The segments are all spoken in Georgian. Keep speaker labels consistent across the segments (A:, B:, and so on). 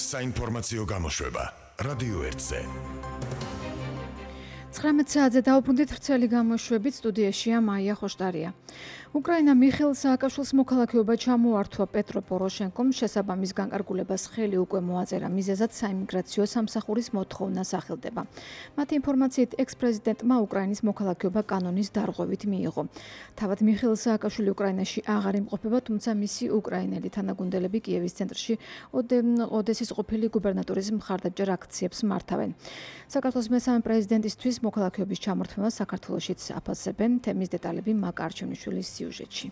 A: საინფორმაციო გამოშვება რადიო 1-ზე.
B: 19 საათზე დაუბრუნდით ვრცელი გამოშვებით, სტუდიაშია მაია ხოშტარია. უკრაინა მიხეილ სააკაშვილის მოქალაქეობა ჩამოართვა პეტრო პოროშენკომ, შესაბამის განკარგულებას ხელი უკვე მოაწერა, მიზეზად საიმიგრაციო სამსახურის მოთხოვნა სახელდება. მათი ინფორმაციით, ექს-პრეზიდენტმა უკრაინის მოქალაქეობა კანონის დარღვევით მიიღო. თავად მიხეილ სააკაშვილი უკრაინაში აღარ იმყოფება, თუმცა მისი უკრაინელი თანაგუნდელები კიევის ცენტრში ოდესის ყოფილი გუბერნატორის მხარდამჭერ აქციებს მართავენ. საქართველოს მესამე პრეზიდენტისთვის მოქალაქეობის ჩამორთმევა საქართველოშიც აფასებენ. თემის დეტალები მაკ არჩევნიშვილის სიუჟეტში.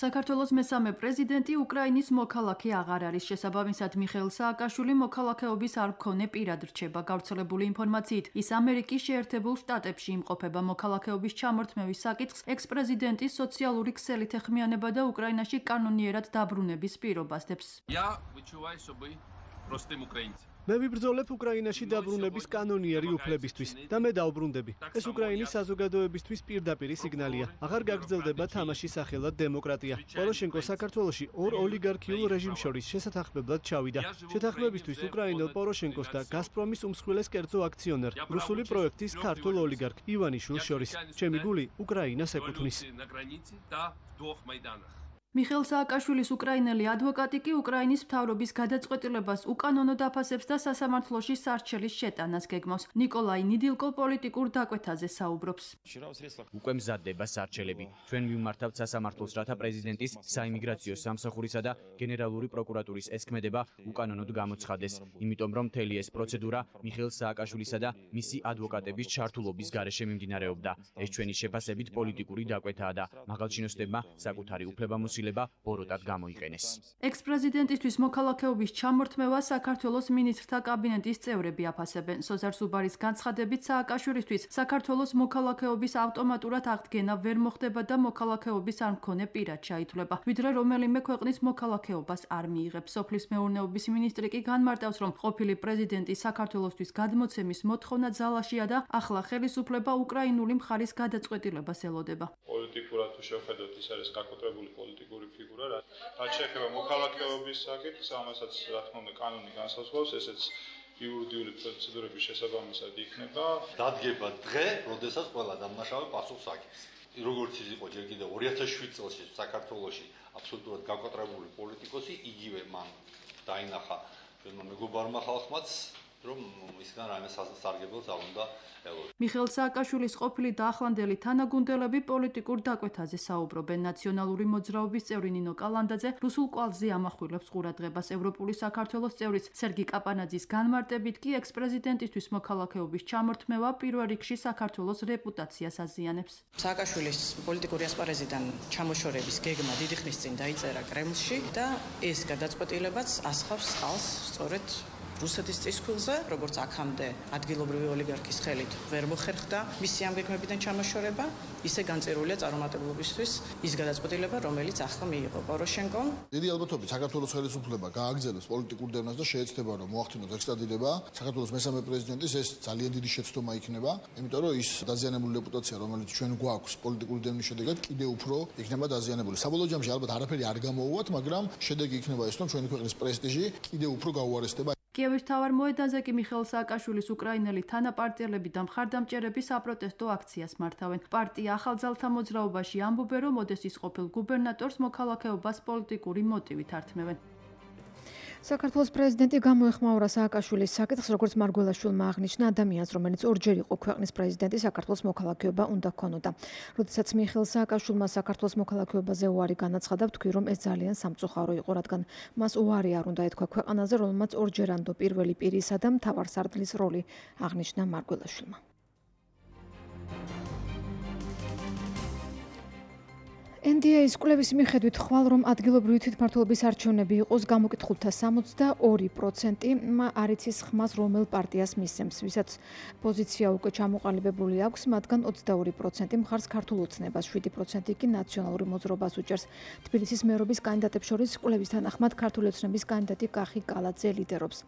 C: საქართველოს მესამე პრეზიდენტი უკრაინის მოქალაქე აღარ არის. შესაბამისად, მიხეილ სააკაშვილი მოქალაქეობის არ მქონე პირად რჩება. გავრცელებული ინფორმაციით, ის ამერიკის შეერთებულ შტატებში იმყოფება. მოქალაქეობის ჩამორთმევის საკითხს ექს-პრეზიდენტის სოციალური ქსელით ეხმიანება და უკრაინაში კანონიერად დაბრუნების პირობას დებს.
D: მე ვიბრძოლებ უკრაინაში დაბრუნების კანონიერი უფლებისთვის და მე დაუბრუნდები. ეს უკრაინის საზოგადოებისთვის პირდაპირი სიგნალია. აღარ გაგრძელდება თამაში სახელად დემოკრატია. პოროშენკო საქართველოში ორ ოლიგარქიულ რეჟიმს შორის შესათანხმებლად ჩავიდა. შეთანხმებისთვის უკრაინელ პოროშენკოს და გაზპრომის უმსხვილეს კერძო აქციონერ, რუსული პროექტის ქართულ ოლიგარქ ივანიშვილს შორის. ჩემი გული უკრაინას ეკუთვნის.
C: მიხეილ სააკაშვილის უკრაინელი ადვოკატი კი უკრაინის მთავრობის გადაწყვეტილებას უკანონო დაფასებს და სასამართლოში სარჩელის შეტანას გეგმავს. ნიკოლაი ნიდილკო პოლიტიკურ დაკვეთაზე საუბრობს.
E: უკვე მზადდება სარჩელები. ჩვენ მივმართავთ სასამართლოს, რათა პრეზიდენტის საიმიგრაციო სამსახურისა და გენერალური პროკურატურის ესქმედება უკანონოდ გამოცხადდეს. იმიტომ რომ მთელი ეს პროცედურა მიხეილ სააკაშვილისა და მისი ადვოკატების ჩართულობის გარეშე მიმდინარეობდა. ეს ჩვენი შეფასებით პოლიტიკური დაკვეთაა და მაღალჩინოსნებმა საკუთარი უფლებამოსილება ბოროტად გამოიყენეს.
C: ექს-პრეზიდენტისთვის მოქალაქეობის ჩამორთმევა საქართველოს მინისტრთა კაბინეტის წევრები აფასებენ. სოზარ სუბარის განცხადებით, სააკაშვილისთვის საქართველოს მოქალაქეობის ავტომატურად აღდგენა ვერ მოხდება და მოქალაქეობის არ მქონე პირად ჩაითვლება, ვიდრე რომელიმე ქვეყნის მოქალაქეობას არ მიიღებს. სოფლის მეურნეობის მინისტრი კი განმარტავს, რომ ყოფილი პრეზიდენტი საქართველოსთვის გადმოცემის მოთხოვნა ძალაშია და ახლა ხელისუფლება უკრაინული მხარის გადაწყვეტილებას ელოდება.
F: პოლიტიკურად თუ შევხედოთ, ის არის გაკოტრებული პოლიტიკური ფიგურა, რაც შეეხება მოქალაქეობის საკითხს, ამასაც რა თქმა უნდა კანონი განსაზღვრავს, ესეც იურიდიული პროცედურების შესაბამისად იქნება.
G: დადგება დღე, როდესაც ყველა დამნაშავე პასუხს აგებს. როგორც ის იყო ჯერ კიდევ 2007 წელს საქართველოში აბსოლუტურად გაკოტრებული პოლიტიკოსი, იგივე მან დაინახა ჩვენმა მეგობარმა ხალხმაც, რომ ისგან რაიმე სასარგებლო ძალ უნდა ელოდეს.
C: მიხეილ სააკაშვილის ყოფილი და ახლანდელი თანაგუნდელები პოლიტიკურ დაკვეთაზე საუბრობენ. ნაციონალური მოძრაობის წევრი ნინო კალანდაძე რუსულ კვალზე ამახვილებს ყურადღებას. ევროპული საქართველოს წევრის სერგი კაპანაძის განმარტებით კი ექს-პრეზიდენტისთვის მოქალაქეობის ჩამორთმევა პირველ რიგში საქართველოს რეპუტაციას აზიანებს.
H: სააკაშვილის პოლიტიკური ასპარეზიდან ჩამოშორების გეგმა დიდი ხნის წინ დაიწერა კრემლში და ეს გადაწყვეტილებაც ასხავს წყალს სწორედ რუსეთის წისქვილზე, როგორც აქამდე ადგილობრივი ოლიგარქის ხელით ვერ მოხერხდა მისი ამ გეგმებიდან ჩამოშორება, ისე განწირულია წარუმატებლობისთვის ის გადაწყვეტილება, რომელიც ახლა მიიღო პოროშენკომ.
I: დიდი ალბათობით საქართველოს ხელისუფლება გააგრძელებს პოლიტიკურ დევნას და შეეცდება, რომ მოახდინოს ექსტრადირება. საქართველოს მესამე პრეზიდენტის ეს ძალიან დიდი შეცდომა იქნება, იმიტომ რომ ის დაზიანებული რეპუტაცია, რომელიც ჩვენ გვაქვს პოლიტიკური დევნის შედეგად, კიდევ უფრო იქნება დაზიანებული. საბოლოო ჯამში ალბათ არაფერი არ გამოუვათ, მაგრამ შედეგი იქნება ის, რომ ჩვენი ქვეყნის პრესტიჟი კიდევ უფრო გაუარესდება.
C: კიევის მთავარ მოედანზე კი მიხეილ სააკაშვილის უკრაინელი თანაპარტიელები და მხარდამჭერები საპროტესტო აქციას მართავენ. პარტია ახალძალთა მოძრაობაში ამბობენ, რომ ოდესის ყოფილ გუბერნატორს მოქალაქეობას პოლიტიკური მოტივით ართმევენ.
B: საქართველოს პრეზიდენტი გამოეხმაურა სააკაშვილის საკითხს, როგორც მარგველაშვილმა აღნიშნა, ადამიანს, რომელიც ორჯერ იყო ქვეყნის პრეზიდენტი, საქართველოს მოქალაქეობა უნდა ჰქონოდა. როდესაც მიხეილ სააკაშვილმა საქართველოს მოქალაქეობაზე უარი განაცხადა, ვთქვი, რომ ეს ძალიან სამწუხარო იყო, რადგან მას უარი არ უნდა ეთქვა ქვეყანაზე, რომელმაც ორჯერანდო პირველი პირისა და მთავარ სარდლის როლი აღნიშნა მარგველაშვილმა. NDA-ის კვლევის მიხედვით ხვალ რომ ადგილობრივი თვითმმართველობის არჩევნები იყოს გამოკითხულთა 62%-მა არ იცის ხმას რომელ პარტიას მისცემს, ვისაც პოზიცია უკვე ჩამოყალიბებული აქვს, მათგან 22% მხარს ქართულ ოცნებას, 7% კი ნაციონალური მოძრაობას უჭერს. თბილისის მერობის კანდიდატებს შორის კვლევის თანახმად ქართული ოცნების კანდიდატი კახი კალაძე ლიდერობს.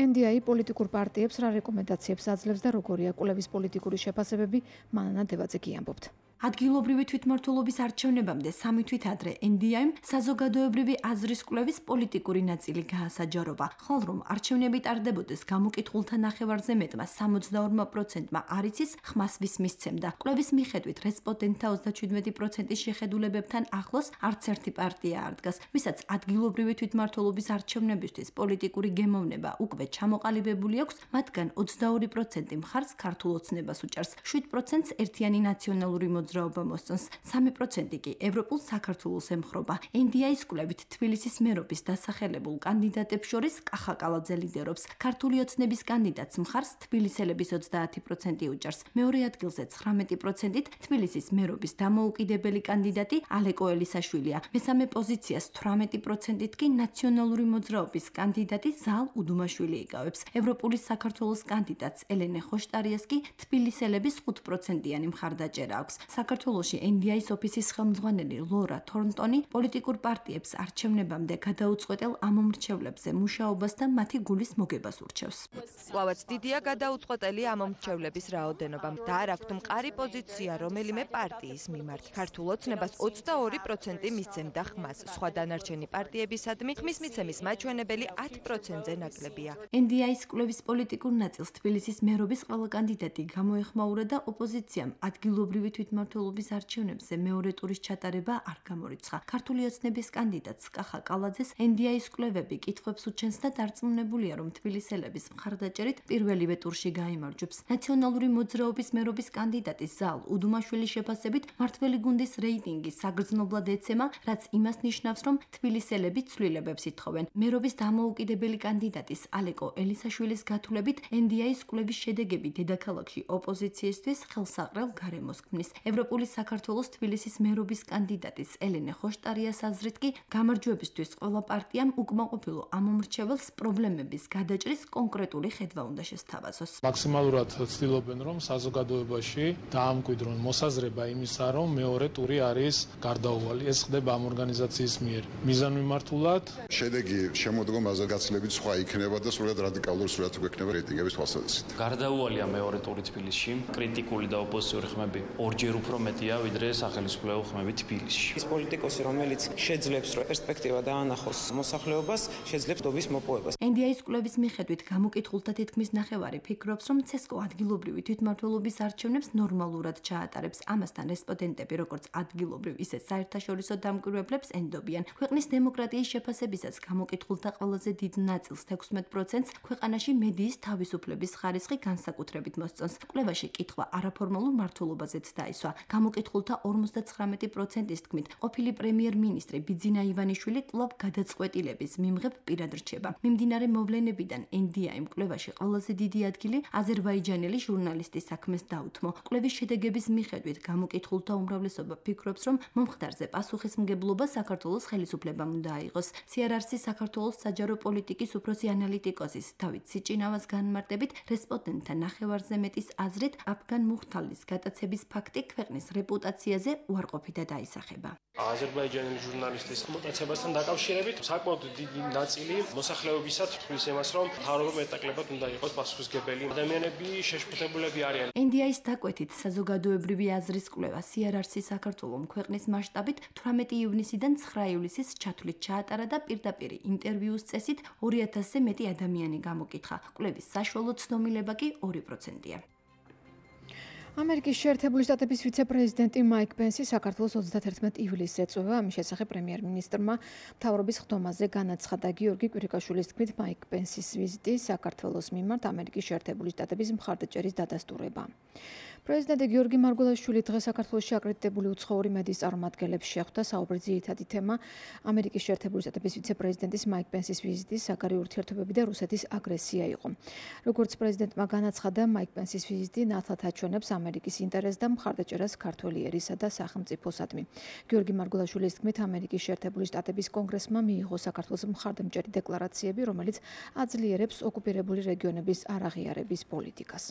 B: NDA პოლიტიკურ პარტიებს რა რეკომენდაციებს აძლევს და როგორია კვლევის პოლიტიკური შეფასებები, მანანა დევაძე კი ამბობთ.
J: ადგილობრივი თვითმმართველობის არჩევნებამდე 3 თვით ადრე NDI-მ საზოგადოებრივი აზრის კვლევის პოლიტიკური ნაწილი გაასაჯაროვა, ხოლო რომ არჩევნები ტარდებოდეს გამოკითხულთა ნახევარზე მეტმა 62%-მა არ იცის, ხმას ვის მისცემდა. კვლევის მიხედვით რესპონდენტთა 37%-ის შეხედულებებთან ახლოს არც ერთი პარტია არ დგას, ვისაც ადგილობრივი თვითმმართველობის არჩევნებისთვის პოლიტიკური გემოვნება უკვე ჩამოყალიბებული აქვს, მათგან 22% მხარს ქართულ ოცნებას უჭერს, 7%-ს ერთიანი ნაციონალური მოძრაობა მოსწონს, 3% კი ევროპულ საქართველოს ემხრობა. NDI-ის კვლევით თბილისის მერობის დასახელებულ კანდიდატებს შორის კახა კალაძე ლიდერობს. ქართული ოცნების კანდიდატს მხარს თბილისელების 30% უჭერს. მეორე ადგილზე 19%-ით თბილისის მერობის დამოუკიდებელი კანდიდატი ალეკო ელისაშვილია. მესამე პოზიციას 18%-ით კი ნაციონალური მოძრაობის კანდიდატი ზალ უდუმაშვილი იკავებს. ევროპული საქართველოს კანდიდატს ელენე ხოშტარიას კი თბილისელების 5%-იანი მხარდაჭერა აქვს. საქართველოში NDI-ის ოფისის ხელმძღვანელი ლორა თორნტონი პოლიტიკურ პარტიებს არჩევნებამდე გადაუწყვეტელ ამომრჩევლებზე მუშაობას და მათი გულის მოგებას ურჩევს.
K: კვლავაც დიდია გადაუწყვეტელი ამომრჩევლების რაოდენობა და არ აქვთ მყარი პოზიცია რომელიმე პარტიის მიმართ. ქართულ ოცნებას 22% მისცემდა ხმას, სხვა დანარჩენი პარტიებისადმი ხმის მიცემის მაჩვენებელი 10%-ზე ნაკლებია.
J: NDI-ის კვლევის პოლიტიკურ ნაწილს თბილისის მერობის ყველა კანდიდატი გამოეხმაურა და ოპოზიციამ ადგილობრივი თვითმმართველობის არჩევნებზე მეორე ტურის ჩატარება არ გამორიცხა. ქართული ოცნების კანდიდატს კახა კალაძეს NDI-ის კვლევები კითხვებს უჩენს და დარწმუნებულია, რომ თბილისელების მხარდაჭერით პირველივე ტურში გაიმარჯვებს. ნაციონალური მოძრაობის მერობის კანდიდატის ზალ უდუმაშვილის შეფასებით მართველი გუნდის რეიტინგი საგრძნობლად ეცემა, რაც იმას ნიშნავს, რომ თბილისელები ცვლილებებს ითხოვენ. მერობის დამოუკიდებელი კანდიდატის ალეკო ელისაშვილის გათვლებით NDI-ის კვლევის შედეგები დედაქალაქში ოპოზიციისთვის ხელსაყრელ გარემოს ქმნის. ევროპული საქართველოს თბილისის მერობის კანდიდატის ელენე ხოშტარიას აზრით კი გამარჯვებისთვის ყველა პარტიამ უკმაყოფილო ამომრჩეველს პრობლემების გადაჭრის კონკრეტული ხედვა უნდა შესთავაზოს.
L: მაქსიმალურად ცდილობენ, რომ საზოგადოებაში დაამკვიდრონ მოსაზრება იმისა, რომ მეორე ტური არის გარდაუვალი. ეს ხდება ამ ორგანიზაციის მიერ. მიზანმიმართულად
M: შედეგი შემოდგომაზე გაცილებით სხვა იქნება და სულად რადიკალური სურათი გვექნება რეიტინგების თვალსაზრისით.
N: გარდაუვალია მეორე ტური თბილისში. კრიტიკული და ოპოზიციური ხმები ორჯერ უფრო მეტია, ვიდრე სახელმწიფო ხმები თბილისში.
O: ის პოლიტიკოსი, რომელიც შეძლებს რომ პერსპექტივა დაანახოს მოსახლეობას, შეძლებს დობის მოპოვებას.
J: NDI-ის კვლევის მიხედვით გამოკითხულთა თითქმის ნახევარი ფიქრობს, რომ ცესკო ადგილობრივი თვითმმართველობის არჩევნებს ნორმალურად ჩაატარებს. ამასთან რესპონდენტები როგორც ადგილობრივ, ისე საერთაშორისო დამკვირვებლებს ენდობიან. ქვეყნის დემოკრატიის შეფასებისას გამოკითხულთა ყველაზე დიდ ნაწილს 16%-ს ქვეყანაში მედიის თავისუფლების ხარისხი განსაკუთრებით მოსწონს. კვლევაში კითხვა არაფორმალურ მმართველობაზეც დაისვა. გამოკითხულთა 59%-ის თქმით, ყოფილი პრემიერ-მინისტრი ბიძინა ივანიშვილი კვლავ გადაწყვეტილების მიმღებ პირად რჩება. მიმდინარე მოვლენებიდან NDI-მ კვლევაში ყველაზე დიდი ადგილი აზერბაიჯანელი ჟურნალისტის საქმეს დაუთმო. კვლევის შედეგების მიხედვით გამოკითხულთა უმრავლესობა ფიქრობს, რომ მომხდარზე პასუხისმგებლობა საქართველოს ხელისუფლებამ უნდა აიღოს. CRRC-ის საქართველოს საჯარო პოლიტიკის უფროსი ანალიტიკოსის დავით სიჭინავას განმარტებით, რესპონდენტთა ნახევარზე მეტის აზრით, აფგან მუხთალის გატაცების ფაქტი ქვეყნის რეპუტაციაზე უარყოფითად აისახება.
P: აზერბაიჯანელი ჟურნალისტის მოტაცებასთან დაკავშირებით საკმაოდ დიდი ნაწილი მოსახლეობისა თვლის იმას, რომ მთავრობა მეტნაკლებად უნდა იყოს პასუხისმგებელი. ადამიანები შეშფოთებულები არიან.
J: NDI-ის დაკვეთით საზოგადოებრივი აზრის კვლევა CRRC საქართველოს ქვეყნის მასშტაბით 18 ივნისიდან 9 ივლისის ჩათვლით ჩაატარა და პირდაპირ ინტერვიუს წესით 2000-ზე მეტი ადამიანი გამოკითხა. კვლევის საშუალო ცნობილება კი 2%-ია.
B: ამერიკის შეერთებული შტატების ვიცე-პრეზიდენტი მაიკ პენსი საქართველოს 31 ივლისს ეწვევა. ამის შესახებ პრემიერ-მინისტრმა მთავრობის ხდომაზე განაცხადა. გიორგი კვირიკაშვილის თქმით, მაიკ პენსის ვიზიტი საქართველოს მიმართ ამერიკის შეერთებული შტატების მხარდაჭერის დადასტურება. პრეზიდენტი გიორგი მარგველაშვილი დღეს საქართველოში აკრედიტებული უცხოური მედიის წარმომადგენლებს შეხვდა. საუბრის ძირითადი თემა ამერიკის შეერთებული შტატების ვიცე-პრეზიდენტის მაიკ პენსის ვიზიტი, საგარეო ურთიერთობები და რუსეთის აგრესია იყო. როგორც პრეზიდენტმა განაცხადა, მაიკ პენსის ვიზიტი ნათლად აჩვენებს ამერიკის ინტერესს და მხარდაჭერას ქართველი ერისა და სახელმწიფოსადმი. გიორგი მარგველაშვილის თქმით, ამერიკის შეერთებული შტატების კონგრესმა მიიღო საქართველოს მხარდამჭერი დეკლარაციები, რომელიც აძლიერებს ოკუპირებული რეგიონების არაღიარების პოლიტიკას.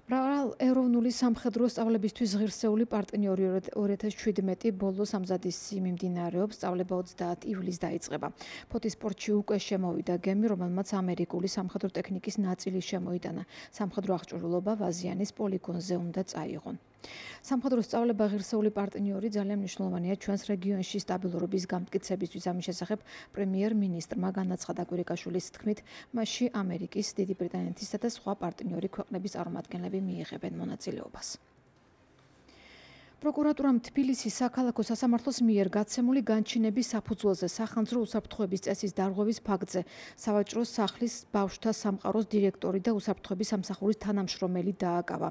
B: მრავალეროვნული სამხედრო სწავლებისთვის ღირსეული პარტნიორი 2017 ბოლოს ამზადისი მიმდინარეობს. სწავლება 30 ივლისს დაიწყება. ფოთის სპორტში უკვე შემოვიდა გემი, რომელმაც ამერიკული სამხედრო ტექნიკის ნაწილი შემოიტანა. სამხედრო აღჭურვილობა ვაზიანის პოლიგონზე უნდა წაიღონ. სამხედრო სწავლება ღირსეული პარტნიორი ძალიან მნიშვნელოვანია ჩვენს რეგიონში სტაბილურობის გამტკიცებისთვის. ამის შესახებ პრემიერ-მინისტრმა განაცხადა კვირიკაშვილის თქმით, მასში ამერიკის, დიდი ბრიტანეთისა და სხვა პარტნიორი ქვეყნების წარმომადგენლები მიიღებენ მონაწილეობას. პროკურატურამ თბილისის საქალაქო სასამართლოს მიერ გაცემული განჩინების საფუძველზე სახანძრო უსაფრთხოების წესის დარღვევის ფაქტზე სავაჭრო სახლის ბავშვთა სამყაროს დირექტორი და უსაფრთხოების სამსახურის თანამშრომელი დააკავა.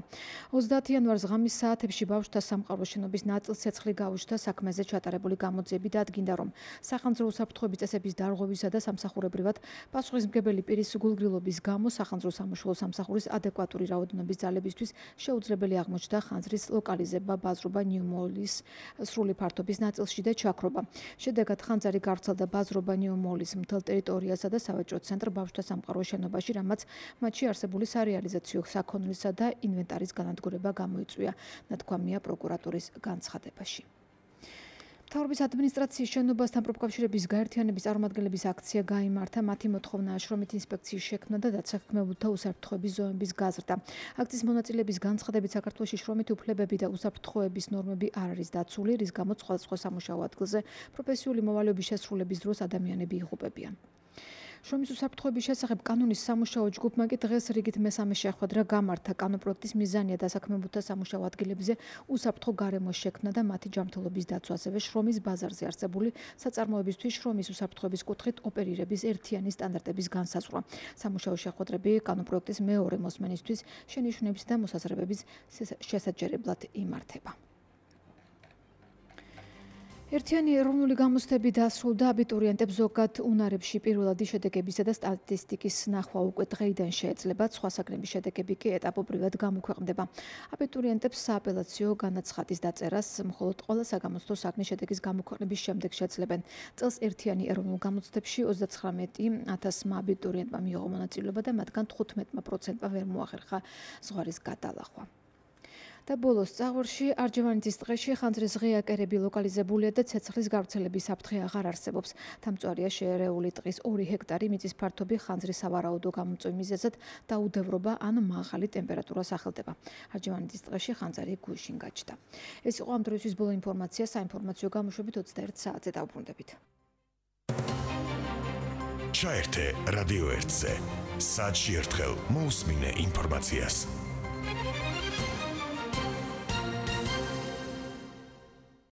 B: 30 იანვარს ღამის საათებში ბავშვთა სამყაროს შენობის ნაწილ-ცეცხლი გაუჩნდა საქმეზე ჩატარებული გამოძიები და ადგინდა, რომ სახანძრო უსაფრთხოების წესების დარღვევისა და სამსახურებრივად პასუხისმგებელი პირის გულგრილობის გამო სახანძრო სამუშაო სამსახურის ადეკვატური რაოდენობის ძალებისთვის შეუძლებელი აღმოჩნდა ხანძრის ლოკალიზება ბაზრობა ნიუ-მოლის სრული ფართობის ნაწილში და ჩაქრობა. შედეგად ხანძარი გავრცელდა ბაზრობა ნიუ-მოლის მთელ ტერიტორიასა და სავაჭრო ცენტრ ბავშვთა სამყაროს შენობაში, რამაც მათში არსებული სარეალიზაციო საქონლისა და ინვენტარის განადგურება გამოიწვია, ნათქვამია პროკურატურის განცხადებაში. მთავრობის ადმინისტრაციის შენობასთან პროფკავშირების გაერთიანების წარმომადგენლების აქცია გაიმართა. მათი მოთხოვნაა შრომით ინსპექციის შექმნა და დაცახმებულთა უსაფრთხოების ზომების გაზრდა. აქციის მონაწილეების განცხადებით, საქართველოში შრომითი უფლებები და უსაფრთხოების ნორმები არ არის დაცული, რის გამოც სხვადასხვა სამუშაო ადგილზე პროფესიული მოვალეობის შესრულების დროს ადამიანები იღუპებიან. შრომის უსაფრთხოების შესახებ კანონის სამუშაო ჯგუფმა კი დღეს რიგით მესამე შეხვედრა გამართა. კანონპროექტის მიზანია დასაქმებულთა სამუშაო ადგილებზე უსაფრთხო გარემოს შექმნა და მათი ჯანმრთელობის დაცვა, ასევე შრომის ბაზარზე არსებული საწარმოებისთვის შრომის უსაფრთხოების კუთხით ოპერირების ერთიანი სტანდარტების განსაზღვრა. სამუშაო შეხვედრები კანონპროექტის მეორე მოსმენისთვის შენიშვნების და მოსაზრებების შესაჯერებლად იმართება. ერთიანი ეროვნული გამოცდები დასრულდა. აბიტურიენტებს ზოგად უნარებში პირველადი შედეგებისა და სტატისტიკის ნახვა უკვე დღეიდან შეეძლებათ, სხვა საგნების შედეგები კი ეტაპობრივად გამოქვეყნდება. აბიტურიენტებს სააპელაციო განაცხადის დაწერას მხოლოდ ყველა საგამოცდო საგნის შედეგის გამოქვეყნების შემდეგ შეძლებენ. წელს ერთიანი ეროვნულ გამოცდებში 39,000 აბიტურიენტმა მიიღო მონაწილეობა და მათგან 15%-მა ვერ მოახერხა ზღვარის გადალახვა. და ბოლოს წაღვერში არჯევანეთის ტყეში ხანძრის ღია კერები ლოკალიზებულია და ცეცხლის გავრცელების საფრთხე აღარ არსებობს. დამწვარია შეერეული ტყის 2 ჰექტარი მიწის ფართობი ხანძრის სავარაუდო გამოწვევის მიზეზად დაუდევრობა ან მაღალი ტემპერატურა სახელდება. არჯევანეთის ტყეში ხანძარი გუშინ გაჩნდა. ეს იყო ამ დროისთვის ბოლო ინფორმაცია. საინფორმაციო გამოშვებით 21 საათზე დავბრუნდებით.
A: ჩაერთე რადიო 1-ზე. საათში ერთხელ მოусმინე ინფორმაციას.